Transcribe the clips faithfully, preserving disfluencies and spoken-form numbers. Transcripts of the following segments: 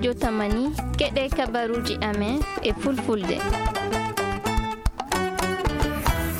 Jotamani, keɗe kabaruuji amen e fulfulde.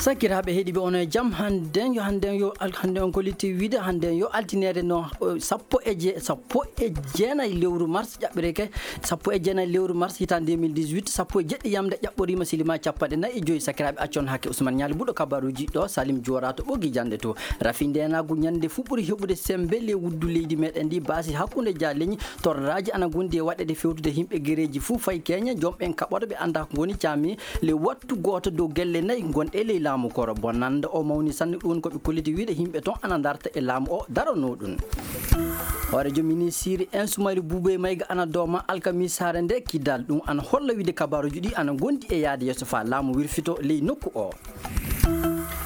Sakiraaɓe heɗiiɓe, on e jam? Hannden yo, hannden yo, al-, hannden on kolliti wiide, hannden yo altineede no, eh, sappo e je-, sappo e jeenayi lewru mars ƴaɓɓireke, sappo e jeenayi lewru mars hitaande deux mille dix-huit, sappo e jeɗɗi yamde ƴaɓɓoriima, silima capanɗe nayi e joyi. Sakiraaɓe, accon hakke Ousmane Ñaali Buɗo kabaruuji ɗo, Salim Joora to ɓogi jannde to. Rafi ndeenaagu ñande fuu ɓuri heɓude semmbe ley wuddu leydi meɗen ndi, baasi hakkunde jaaleñi, torraaji ana ngondi e waɗeede fewtude yimɓe gereeji fuu fay keeñe, joom ɓen kaɓoto ɓe anndaa ko ngoni caami ley wattu gooto dow gelle nayi gonɗe ley laamu koro. Bonannda o mawni sanne, ɗum woni ko ɓe kolliti wiide yimɓe ton ana ndarta e laamu o daranoo ɗum. Hooreejo minisiri en Soumaïla Boubèye Maïga ana dooma alkamisaare nde Kidal, ɗum ana holla wiide kabaruuji ɗi ana ngondi e yaade yeeso faa laamu wirfito ley nokku o.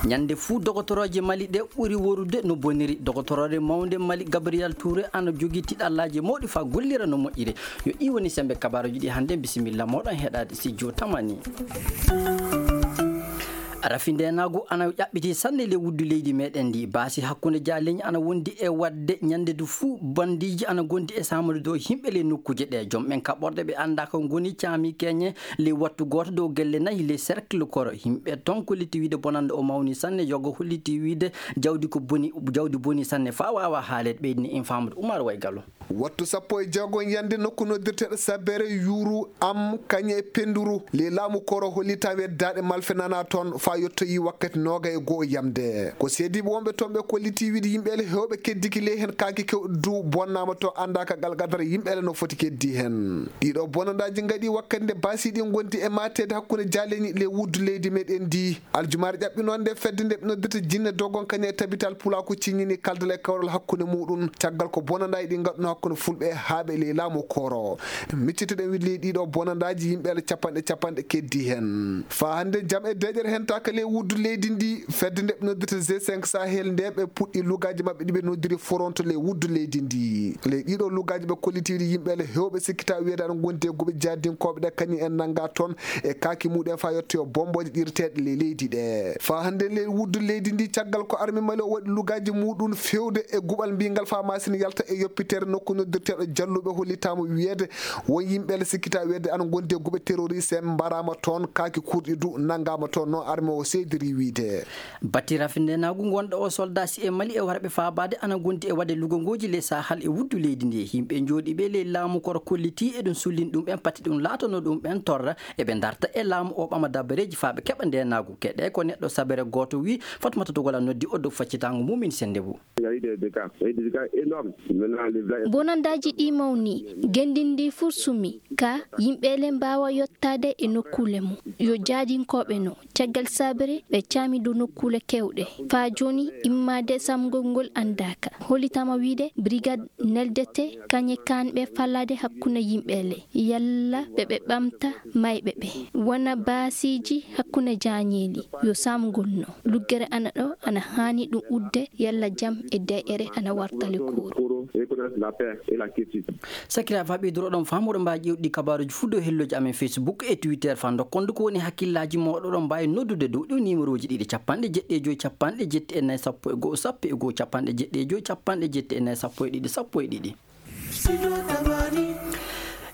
Ñande fuu, dogotorooje Mali ɗe ɓuri worude no boniri. Dogotoroore mawnde Mali, Gabriel Touré, ana jogii tiɗallaaji mawɗi faa gollira no moƴƴiri. Yo ɗi woni semmbe kabaruuji ɗi hannde. Bisimilla mooɗon heɗaade studio Tamani. Rafi ndeenaagu ana ƴaɓɓiti sanne ley wuddu leydi meɗen ndi. Baasi hakkunde jaaleñi ana wondi e waɗde ñande du fuu, bandiiji ana ngondi e saamude dow yimɓe ley nokkuuje ɗe. Joom ɓen kaɓorɗe ɓe anndaa ko ngoni caami keeñe ley wattu gooto dow gelle nayi ley cercle koro. Yimɓe ton kolliti wiide bonannda o mawni sanne, yogo holliti wiide jawdi ko boni, jawdi boni sanne faa waawa haaleede, ɓeydini en faamude. Umar Way Gallo. Wattu sappo e jeego ñande, nokku noddirteeɗo Sabere, Yuru, Am, Kañe e Penduru ley laamu koro hollitaama weddaade malfenaanaa ton faa yottoyi wakkati nooga e goo yamde. Ko seediiɓe wonɓe ton ɓe kolliti wiide yimɓe ele heewɓe keddiki ley heen, kaaki kewɗo du bonnaama to anndaaka gal qadara yimɓe ele no foti keddi heen. Ɗiɗo bonandaaji ngaɗi wakkati nde baasi ɗi ngondi e maateede hakkunde jaaleñi ley wuddu leydi meɗen ndi. Aljumaare ƴaɓɓinoonde, fedde nde ɓe noddirta Jinne Dogon Kañe e Tabital Pulaaku ciññini kaldal e kawral hakkunde muɗum, caggal ko bonandaaji ɗi ngaɗuno hakkunde fulɓe e haaɓe ley laamu koro. Miccitoɗen wiide ley ɗiɗo bonandaaji yimɓe ele capanɗe capanɗe keddi heen. Faa hannde jam e deeƴere hentaaka ley wuddu leydi ndi. Fedde nde ɓe noddirta G cinq Sahel nde ɓe puɗɗi lugaaji maɓɓe ɗi ɓe noddiri foronto ley wuddu leydi ndi. Ley ɗiɗo lugaaji ɓe kolliti wiide yimɓe ele heewɓe sikkita wiyeede ana ngondi e guɓe jahdinkooɓe ɗe kañum en nannga ton e kaaki muɗum faa yettoyo bombooje ɗirteeɗe ley leydi ɗe. Faa hannde ley wuddu leydi ndi, caggal ko arme Mali o waɗi lugaaji muɗum fewde e guɓal mbingal faa masin yalta e yoppitere nokku noddirteeɗo Jalluɓe, hollitaama wiyeede won yimɓe ele sikkita wiyeede ana ngondi e guɓe terroriste en mbaraama toon, kaaki kurɗi du nanngaama toon, no arme o seediri wiide. Bati rafindenaagu ngonɗo o soldat si e Mali e warɓe faabaade ana ngondi e waɗde lugongooji ley Sahal e wuddu leydi ndi. Yimɓe jooɗiiɓe ley laamu koro kolliti eɗum sullini ɗum en pati ɗum laatono ɗum en torra eɓe ndarta e laamu o ɓama dabareeji faa ɓe keɓa ndeenaagu. Keɗe ko neɗɗo sabere gooto wi, Fatmata Dogola noddi o dow faccitaango mum en sennde bu. Il y a eu des dégâts. Il y a eu des dégâts énormes. Maintenant, les villages Bonandaaji ɗi mawni, ngenndi ndi fuu sumi, ka yimɓe le mbaawa yottaade e nokkuule mum. Yo jaadinkooɓe no, caggal sabere ɓe caami dow nokkuule keewɗe. Faa jooni, immaade saamgol ngol anndaaka. Hollitaama wiide, brigade neldete kañe kaanɓe fallaade hakkunde yimɓe le. Yalla ɓe ɓe ɓamta mayɓe ɓe. Wona baasiiji hakkunde jaañeeli. Yo saamgol no. Luggere ana ɗo, ana haani ɗum udde, yalla jam e deeƴere ana warta le kuuru. Sakiraaɓe, faa ɓeyduroɗon faamude mbaawi ƴeewde kabaruuji fuu dow hellooji amen Facebook e Twitter faa ndokkon du ko woni hakkillaaji mooɗon. Oɗon mbaawi noddude dow ɗiw nimerooji ɗiɗi, capanɗe jeɗɗi e joy, capanɗe jeɗɗi e nayi, sappo e go'o, sappo e go'o, capanɗe jeɗɗi e joy, capanɗe jeɗɗi e nayi, sappo e ɗiɗi, sappo e ɗiɗi.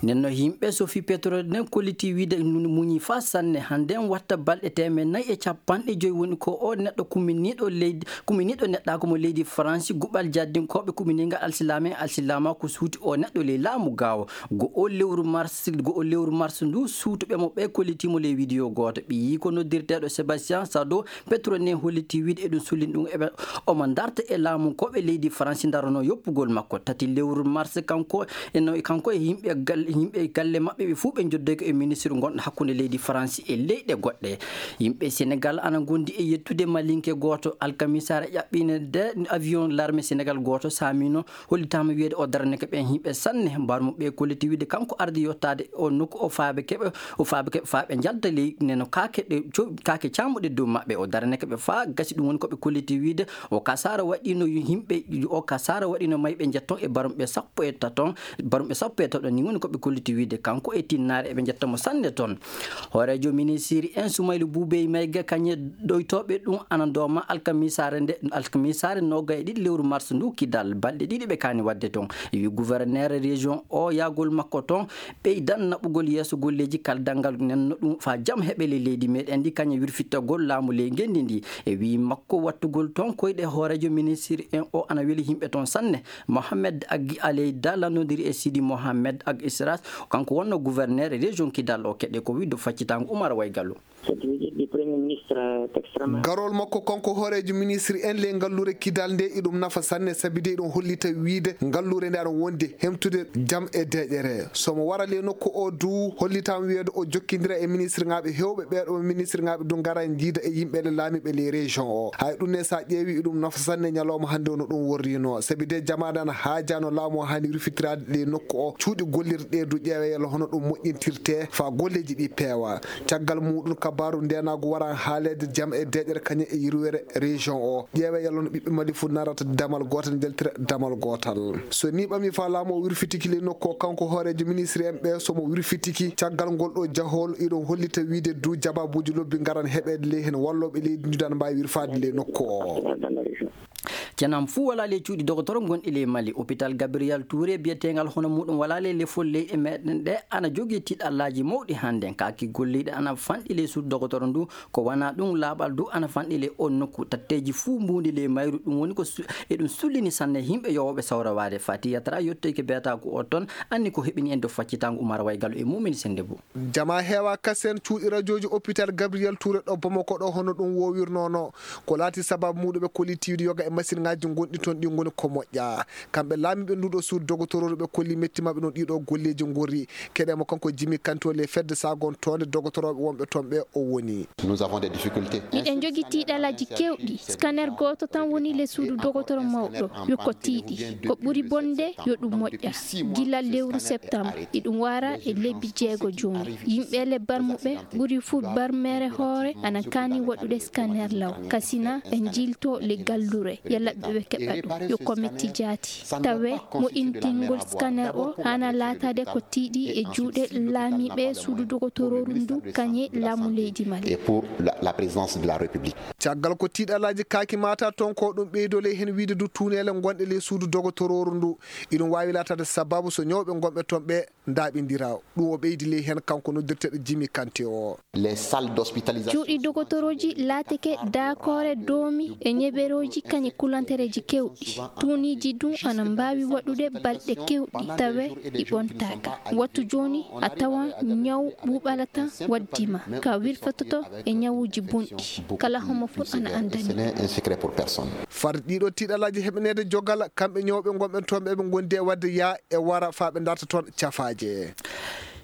Nden no yimɓe sofi pétrole nden kolliti wiide muñi faa sanne. Hannden watta balɗe teemeɗɗe nayi e capanɗe joy woni ko o neɗɗo kuminiiɗo leydi, kuminiiɗo neɗɗaaku mo leydi Faransi, guɓal jaddinkooɓe kuminiingal alsilaame, alsilaama ko suuti o neɗɗo ley laamu gaawo. Go'o lewru mars, go'o lewru mars ndu, suutuɓe mo ɓe kolliti mo ley widiyo gooto. Ɓiyiiko noddirteeɗo Sébastien Sado, Petro ne holliti wiide eɗum sullini ɗum eɓe omo ndarta e laamu ko ɓe leydi Faransi ndarono yoppugol makko. Tati lewru mars, kanko e no, kanko e yimɓe gal-, yimɓe galle maɓɓe ɓe fuu ɓe njoddoyke e ministre gonɗo hakkunde leydi Faransi e leyɗe goɗɗe. Yimɓe Senegal ana ngondi e yettude malinke gooto. Alkamisaare ƴaɓɓiinde avion l'armée Senegal gooto saamino. Hollitaama wiyeede o daranike ɓeen yimɓe sanne. Mbarmo ɓe kolliti wiide kanko ardi yottaade o nokku o faabe keɓe, o faabe keɓe faa ɓe njalta ley neno kaake ɗe co-, kaake caamuɗe dow maɓɓe. O daranike ɓe faa gasi, ɗum woni ko ɓe kolliti wiide o kasaara waɗiino yimɓe, o kasaara waɗiino mayɓe njetton e barumɓe sappo e taton, barumɓe sappo e taton ni woni ko Kolliti wiide kanko e tinnaare eɓe njetta mo sanne toon. Hooreejo ministiri en Sumaylu Buubey Mayga kañe ɗoytooɓe ɗum ana dooma alkamisaare nde, alkamisaare noogay e ɗiɗi lewru mars ndu kidal balɗe ɗiɗi ɓe kaani waɗde toon. E wi gouverneur région o yaagol makko toon ɓeydan naɓugol yeeso golleeji kaldal ngal nenno ɗum faa jam heɓe ley leydi meɗen ndi kañe wirfittagol laamu ley ngenndi ndi. E wi makko wattugol toon koyɗe hooreejo ministiri en o ana weli yimɓe toon sanne. Mohamed Agi Aleyda lannodiri e Sidi Mohamed Ag Isras, kanko wonno gouverneur région Kidal o. Keɗe ko wiɗo faccitango Umar Waygalu. Garol makko kanko hooreejo ministre en ley ngalluure Kidal nde iɗum nafa sanne sabi de iɗum hollita wiide ngalluure nde aɗa wondi hemtude jam e deeƴere. So mo wara ley nokku o du hollitaama wiyeede o jokkindira e ministre ŋaaɓe heewɓe ɓeeɗo ministre ŋaaɓe du ngara njiida e yimɓe le laamiiɓe ley région o. Hay ɗum ne so a ƴeewi iɗum nafa sanne ñalawma hannde o no ɗum worrino sabi de jamaade ana haajaano laamu o haani rufitiraade ley nokku o cuuɗi gollirɗe du ƴeewe yalla hono ɗum moƴƴintirte faa golleeji ɗi peewa. Caggal muuɗum kabaaru ndeenaagu wara haaleede jam e deeƴere kañe e yirwere région o. Ƴeewe yalla no ɓiɓɓe Mali fof narata damal gootal njaltira damal gootal. So ni ɓami faa laamu o wirfitiki ley nokku o kanko hooreejo ministre en ɓe so mo wirfitiki caggal ngol ɗo jahol iɗon hollita wiide du jababuuji lobbi ngaran heɓeede ley heen wallooɓe leydi ndi dana mbaawi wirfaade ley nokku o. Cenam fuu walaa ley cuuɗi dogotoro gonɗi ley Mali. Hôpital Gabriel Touré biyeteengal hono muuɗum walaa ley lefol leyɗe meɗen ɗe ana jogii tiɗallaaji mawɗi hannden. Kaaki golliiɗe ana fanɗi ley suudu dogotoro ndu. Ko wanaa ɗum laaɓal du ana fanɗi ley on nokku. Tatteeji fuu mbuundi ley mayru. Ɗum woni ko su-, eɗum sullini sanne yimɓe yowooɓe sawrawaade. Fati Yatra yettoyke beetaaku o toon. Anni ko heɓini en do faccitango Umar Waygalu e Mumini Sennde Boo. Jama heewa kasen cuuɗi rajooji hôpital Gabriel Touré ɗo Bamako ɗo hono ɗum woowirnono. Ko laati sababu muuɗum ɓe kolli tiiwde yoga e masiŋaaji gonɗi toon ɗi ngoni ko moƴƴa. Kamɓe laamiiɓe nduɗo suudu dogotororu ɓe kolli metti maɓɓe no ɗiɗo golleeji ngorri. Keɗe mo kanko Jimi Kanto le fedde sagon toonde dogotorooɓe wonɓe toon ɓe o woni. Nous avons des difficultés. Miɗen jogi tiiɗalaaji kewɗi. Scanner gooto tan woni le suudu dogotoro mawɗo. Yo ko tiiɗi. Ko ɓuri bonde yo ɗum moƴƴa. Gila lewru septembre, iɗum wara e lebbi jeego jooni. Yimɓe le barmuɓe ɓuri fuu barmeere hoore ana kaani waɗude scanner law. Kasina ɓe njilto le gallure. Yalla ɓe keɓa ɗum. Yo ko metti jaati. Tawe mo intingol scanner o hana laatade ko tiiɗi e juuɗe laamiiɓe suudu dogotororu ndu kañe laamu leydi Mali. Et pour la, la présidence de la République. Caggal ko tiiɗalaaji kaaki mata toon ko ɗum ɓeydole heen wiide du tuuneele gonɗe ley suudu dogotororu ndu. Iɗum waawi laatade sababu so ñawɓe gonɓe toon ɓe ndaaɓindira. Ɗum o ɓeydi ley heen kanko noddirteeɗo Jimi Kante o. Les salles d'hospitalisation. Cuuɗi dogotorooji laatike daakoore doomi e ñeberooji kañe kulantereeji kewɗi. Tuuniiji ɗum ana mbaawi waɗude balɗe kewɗi tawe ɗi ɓontaaka. Wattu jooni a tawan ñaw ɓuuɓalata waddima ka wirfatoto e ñawuuji bonɗi. Kala homo fof ana anndani. Ce n'est un secret pour personne. Far ɗiɗo tiiɗalaaji heɓaneede jogal kamɓe ñawɓe gonɓe toon ɓe ɓe ngondi e waɗde yaa e wara faa ɓe darta toon cafaaje.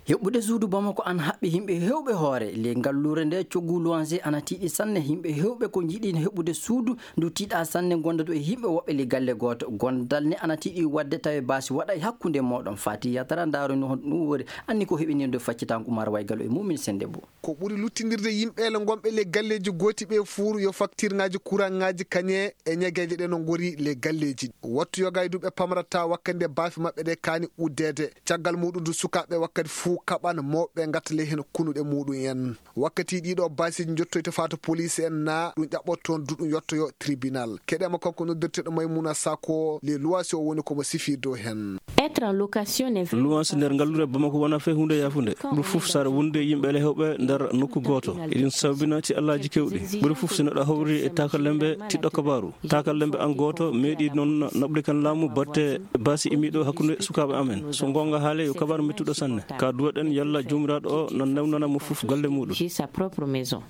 Heɓɓude suudu Bamako ana haɓɓi yimɓe heewɓe hoore. Ley ngalluure nde coggu Luwanse ana tiiɗi sanne. Yimɓe heewɓe ko njiɗi heɓɓude suudu ndu tiiɗa sanne gonda ɗo e yimɓe woɓɓe ley galle gooto. Gondal ne ana tiiɗi waɗde tawe baasi waɗa e hakkunde mooɗon. Fati Yatara ndaaroni hono ɗum wori. Anni ko heɓinirde faccitango Umar Waygalu e Mumin Sennde Boo. Ko ɓuri luttindirde yimɓeele ngonɓe ley galleeji gooti ɓe fuuru yo faktirŋaaji kuraŋŋaaji kañe e ñageeje ɗe no ngori ley galleeji. Wattu yoga e duuɓi ɓe pamrata wakkati nde baafe maɓɓe ɗe kaani uddeede. Caggal muuɗum du sukaaɓe wakkati fuu kaɓan mawɓe ngatta ley heen kunuɗe muuɗum en. Wakkati ɗiɗo baasiiji njottoyta faa to police en na ɗum ƴaɓɓoto toon du ɗum yottoyo tribunal. Keɗema kanko noddirteeɗo Maymuna Sako le luwasi o woni ko mo sifi dow heen. Être en location n'est Luwanse nder ngallure Bamako wona fe huunde yaafunde. Ɓuri fof saare wonde yimɓe ele hewɓe nder nokku gooto. Eɗin sababina ci allaaji kewɗi. Ɓuri fof so neɗɗo hawri e taakalembe tiɗɗo kabaaru. Taakalembe an gooto meeɗi noon naɓde kan laamu batte baasi imiɗo hakkunde sukaaɓe amen. So goonga haale yo kabaaru mettuɗo sanne. Ka duwaɗen yalla joomiraaɗo o nan newnana mo fof galle muuɗum. J'ai sa propre maison.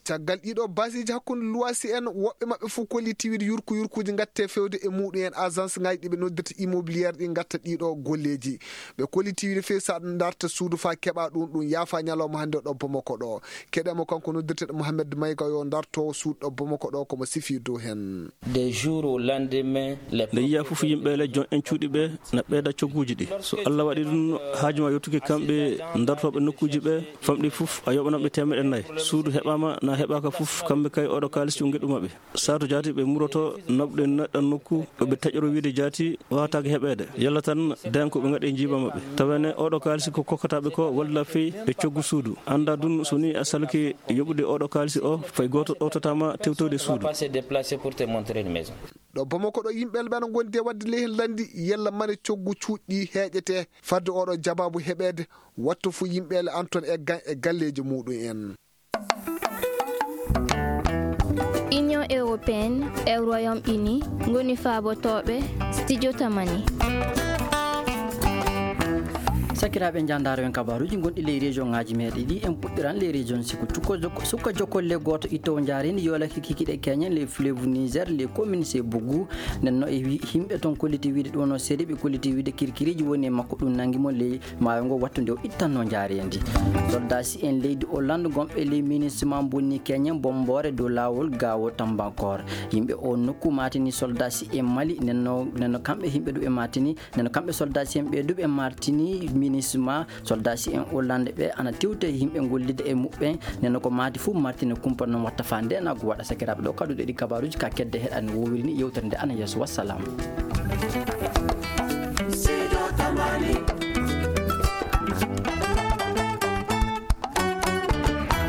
Caggal ɗiɗo baasiiji hakkunde luwasi en, woɓɓe maɓɓe fof kolliti wiide yurku yurkuuji ngatte fewde e muuɗum en agence ŋaaji ɗi ɓe noddirta immobilière ɗi ngatta ɗiɗo golleeji. Ɓe kolliti wiide feewi so aɗa darta suudu faa keɓa ɗum, ɗum yaafa ñalawma hannde ɗo Bamako ɗo. Keɗemo kanko noddirteeɗo Mohamed Mayga yo darto suudu ɗo Bamako ɗo ko mo sifi dow heen. Des jours au lendemain, les Nde yiya fof yimɓe le jon en cuuɗi ɓe na ɓeyda cogguuji ɗi. So Allah waɗi ɗum haaju ma yottuki kamɓe dartooɓe nokkuuji ɓe famɗi fof a yoɓanamɓe teemeɗe nayi. Suudu heɓaama na heɓaaka fof, kamɓe kay oɗo kaalis cunge ɗumaɓe. Saatu jaati ɓe muroto naɓɗe neɗɗo nokku, ɓe taƴoro wiide jaati waawataake heɓeede. Yalla tan den ko ɓe ngaɗi e njiiba maɓɓe. Tawene oɗo kaalisi ko kokkataɓe ko walla fey e coggu suudu. Annda dun so ni a salki yoɓude oɗo kaalisi o, fay gooto ɗowtataama tewtoyde suudu. Ɗo Bamako ɗo yimɓeele ɓe ana ngondi e waɗde lehen lanndi yalla mane coggu cuuɗi heeƴete. Fadde oɗo jabaabu heɓeede, watto fu yimɓeele an ton e gan e galleeji muɗum en. Union européenne e Royaume-Uni ngoni faabotooɓe studio Tamani. Sakiraaɓe, njaandaaro en kabaaruuji gonɗi ley région ŋaaji meeɗe ɗi, en puɗɗiran ley région Sikutu. Ko jok- suka jokolle gooto ittowo njaareendi yoolake kikiiɗe keñen ley fleuve Niger, ley commune Sebougu. Nden no e wi- yimɓe ton kolliti wiide ɗum no seedi, ɓe kolliti wiide kirkiriiji woni e makko, ɗum nangi mo ley maayo ngo wattu nde o ittanno njaareendi. Soldaasi en leydi Hollande gonɓe ley MINUSMA bonni keñen bomboore dow laawol Gaawo Tambankor. Yimɓe o nokku maatini soldaasi en Mali, nenno nenno kamɓe yimɓe ɗum e maatini, nenno kamɓe soldaasi en ɓe ɗum e maatini MINUSMA. Soldaasi en Hollande ɓe ana tewta e yimɓe gollida e muɓɓen, nenno ko maati fuu maatini kumpa non watta faa ndenaagu waɗa. Sakiraaɓe, ɗo kaɗuɗe ɗi kabaaruuji ka kedde heɗani wowiri ni yewtere nde ana yeeso. Wassalam.